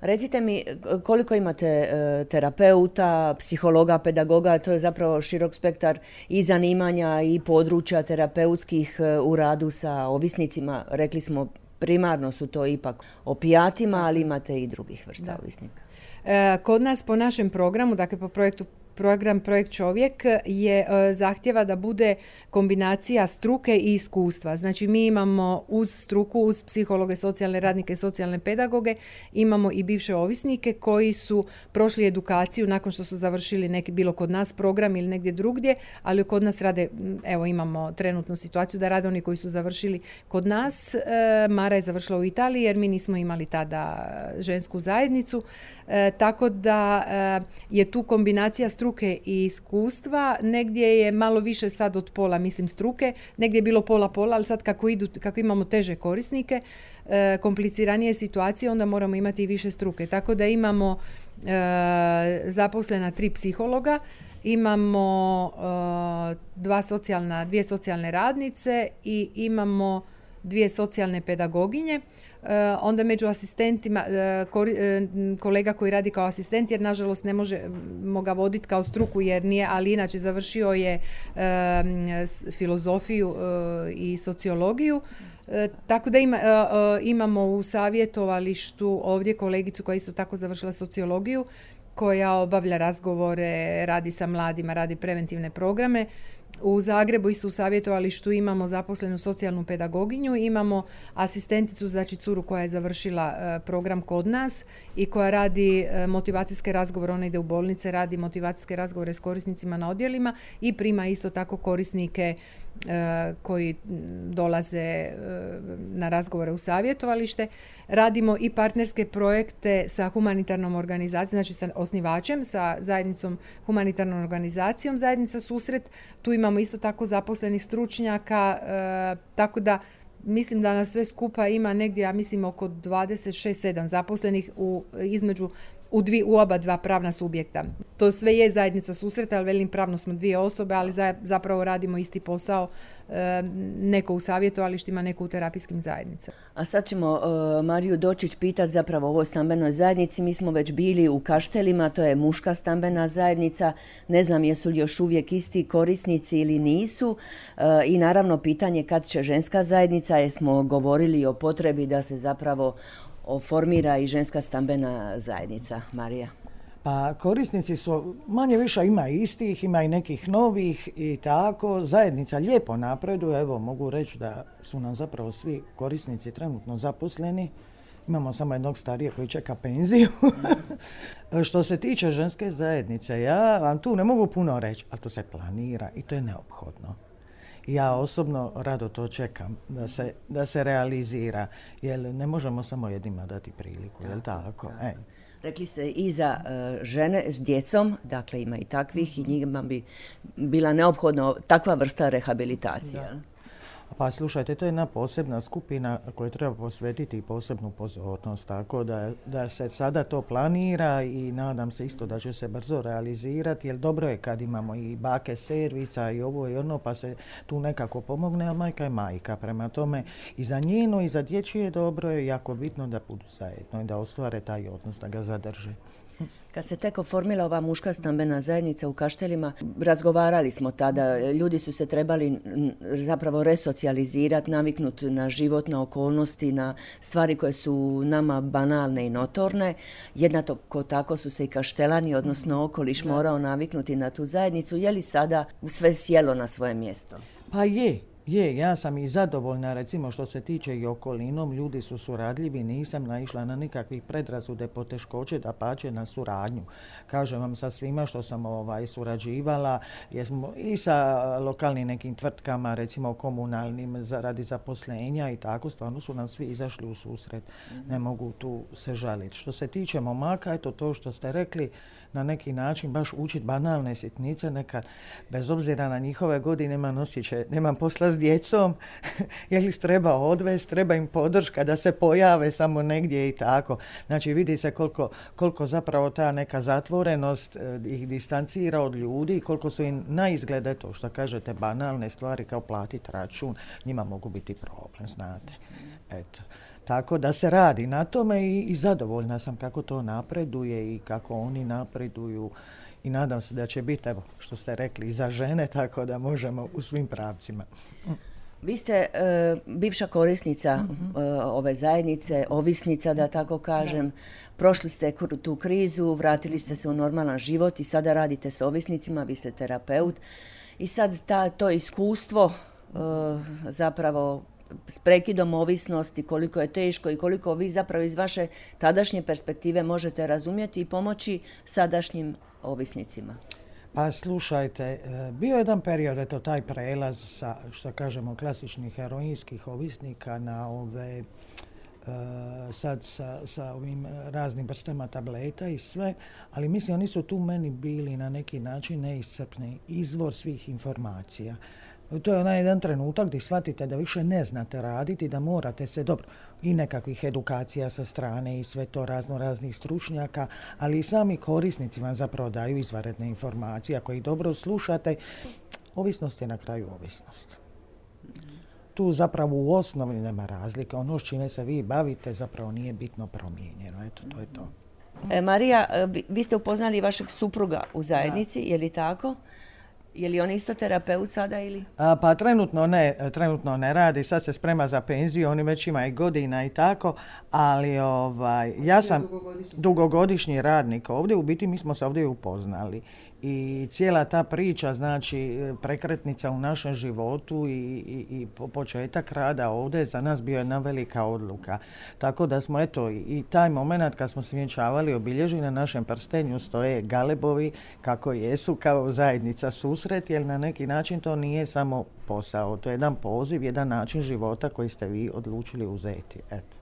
Recite mi koliko imate terapeuta, psihologa, pedagoga, to je zapravo širok spektar i zanimanja i područja terapeutskih u radu sa ovisnicima. Rekli smo primarno su to ipak opijatima, ali imate i drugih vrsta ovisnika. Kod nas po našem programu, dakle po Projekt Čovjek je zahtjeva da bude kombinacija struke i iskustva. Znači mi imamo uz struku, uz psihologe, socijalne radnike, socijalne pedagoge, imamo i bivše ovisnike koji su prošli edukaciju nakon što su završili neki bilo kod nas program ili negdje drugdje, ali kod nas rade, evo imamo trenutnu situaciju da rade oni koji su završili kod nas. Mara je završila u Italiji jer mi nismo imali tada žensku zajednicu. Tako da je tu kombinacija struke i iskustva. Negdje je malo više sad od pola, mislim, struke, negdje je bilo pola-pola, ali sad kako imamo teže korisnike, kompliciranije situacije, onda moramo imati i više struke. Tako da imamo zaposlena 3 psihologa, imamo dvije socijalne radnice i imamo 2 socijalne pedagoginje. Onda među asistentima kolega koji radi kao asistent, jer nažalost ne možemo ga voditi kao struku jer nije, ali inače završio je filozofiju i sociologiju. Tako da imamo u savjetovalištu ovdje kolegicu koja isto tako završila sociologiju, koja obavlja razgovore, radi sa mladima, radi preventivne programe. U Zagrebu isto u savjetovalištu imamo zaposlenu socijalnu pedagoginju, imamo asistenticu, znači curu koja je završila program kod nas i koja radi motivacijske razgovore, ona ide u bolnice, radi motivacijske razgovore s korisnicima na odjelima i prima isto tako korisnike koji dolaze na razgovore u savjetovalište. Radimo i partnerske projekte sa humanitarnom organizacijom, znači sa osnivačem, sa zajednicom humanitarnom organizacijom Zajednica Susret. Tu imamo isto tako zaposlenih stručnjaka, tako da mislim da nas sve skupa ima negdje, ja mislim, oko 26-7 zaposlenih u oba dva pravna subjekta. To sve je Zajednica Susreta, ali velim pravno smo 2 osobe, ali zapravo radimo isti posao, neko u savjetovalištima, neko u terapijskim zajednicama. A sad ćemo Mariju Dočić pitati zapravo o ovoj stambenoj zajednici. Mi smo već bili u Kaštelima, to je muška stambena zajednica. Ne znam jesu li još uvijek isti korisnici ili nisu. I naravno pitanje kad će ženska zajednica, jer smo govorili o potrebi da se zapravo formira i ženska stambena zajednica. Marija. Pa korisnici su manje više, ima istih, ima i nekih novih i tako. Zajednica lijepo napreduje, evo mogu reći da su nam zapravo svi korisnici trenutno zaposleni. Imamo samo jednog starije koji čeka penziju. Što se tiče ženske zajednice, ja vam tu ne mogu puno reći, a to se planira i to je neophodno. Ja osobno rado to čekam da se realizira, jer ne možemo samo jednima dati priliku, jel tako? Rekli ste i za žene s djecom, dakle ima i takvih i njima bi bila neophodna takva vrsta rehabilitacije. Da. Pa slušajte, to je jedna posebna skupina koju treba posvetiti posebnu pozornost, tako da se sada to planira i nadam se isto da će se brzo realizirati, jer dobro je kad imamo i bake servisa i ovo i ono, pa se tu nekako pomogne, ali majka je majka. Prema tome i za njeno i za dječje dobro je jako bitno da budu zajedno i da ostvare taj odnos, da ga zadrže. Kad se tek oformila ova muška stambena zajednica u Kaštelima, razgovarali smo tada, ljudi su se trebali zapravo resocijalizirati, naviknuti na život, na okolnosti, na stvari koje su nama banalne i notorne. Jednako tako su se i Kaštelani, odnosno okoliš, morao naviknuti na tu zajednicu. Je li sada sve sjelo na svoje mjesto? Pa je, ja sam i zadovoljna, recimo što se tiče i okolinom, ljudi su suradljivi, nisam naišla na nikakvih predrasude, poteškoće, dapače na suradnju. Kažem vam sa svima što sam surađivala, jesmo i sa lokalnim nekim tvrtkama, recimo komunalnim radi zaposlenja i tako, stvarno su nam svi izašli u susret, ne mogu tu se žaliti. Što se tiče momaka, eto to što ste rekli, na neki način baš učiti banalne sitnice, nekad bez obzira na njihove godine nemam posla s djecom, jer ih treba odvesti, treba im podrška da se pojave samo negdje i tako. Znači vidi se koliko zapravo ta neka zatvorenost ih distancira od ljudi i koliko su im na izgled, to što kažete, banalne stvari kao platiti račun, njima mogu biti problem, znate. Eto. Tako da se radi na tome i zadovoljna sam kako to napreduje i kako oni napreduju i nadam se da će biti, evo, što ste rekli, i za žene, tako da možemo u svim pravcima. Vi ste bivša korisnica ove zajednice, ovisnica da tako kažem. Prošli ste tu krizu, vratili ste se u normalan život i sada radite s ovisnicima, vi ste terapeut. I sad to iskustvo zapravo s prekidom ovisnosti, koliko je teško i koliko vi zapravo iz vaše tadašnje perspektive možete razumjeti i pomoći sadašnjim ovisnicima. Pa slušajte, bio je jedan period, eto taj prelaz sa, što kažemo, klasičnih heroinskih ovisnika na ove, sad sa ovim raznim vrstama tableta i sve, ali mislim oni su tu meni bili na neki način neiscrpni izvor svih informacija. To je onaj jedan trenutak gdje shvatite da više ne znate raditi, da morate se, dobro, i nekakvih edukacija sa strane i sve to raznih stručnjaka, ali i sami korisnici vam zapravo daju izvanredne informacije. Ako ih dobro slušate, ovisnost je na kraju ovisnost. Tu zapravo u osnovi nema razlike. Ono s čime se vi bavite zapravo nije bitno promijenjeno. Eto, to je to. Marija, vi ste upoznali vašeg supruga u zajednici, je li tako? Je li on isto terapeut sada ili? Pa trenutno ne radi, sad se sprema za penziju, oni već ima i godina i tako, ali ja sam dugogodišnji radnik ovdje, u biti mi smo se ovdje upoznali i cijela ta priča, znači prekretnica u našem životu i početak rada ovdje za nas bio jedna velika odluka. Tako da smo eto i taj moment kad smo se vjenčavali obilježili, na našem prstenju stoje galebovi kako jesu kao zajednica susret, jer na neki način to nije samo posao, to je jedan poziv, jedan način života koji ste vi odlučili uzeti. Eto.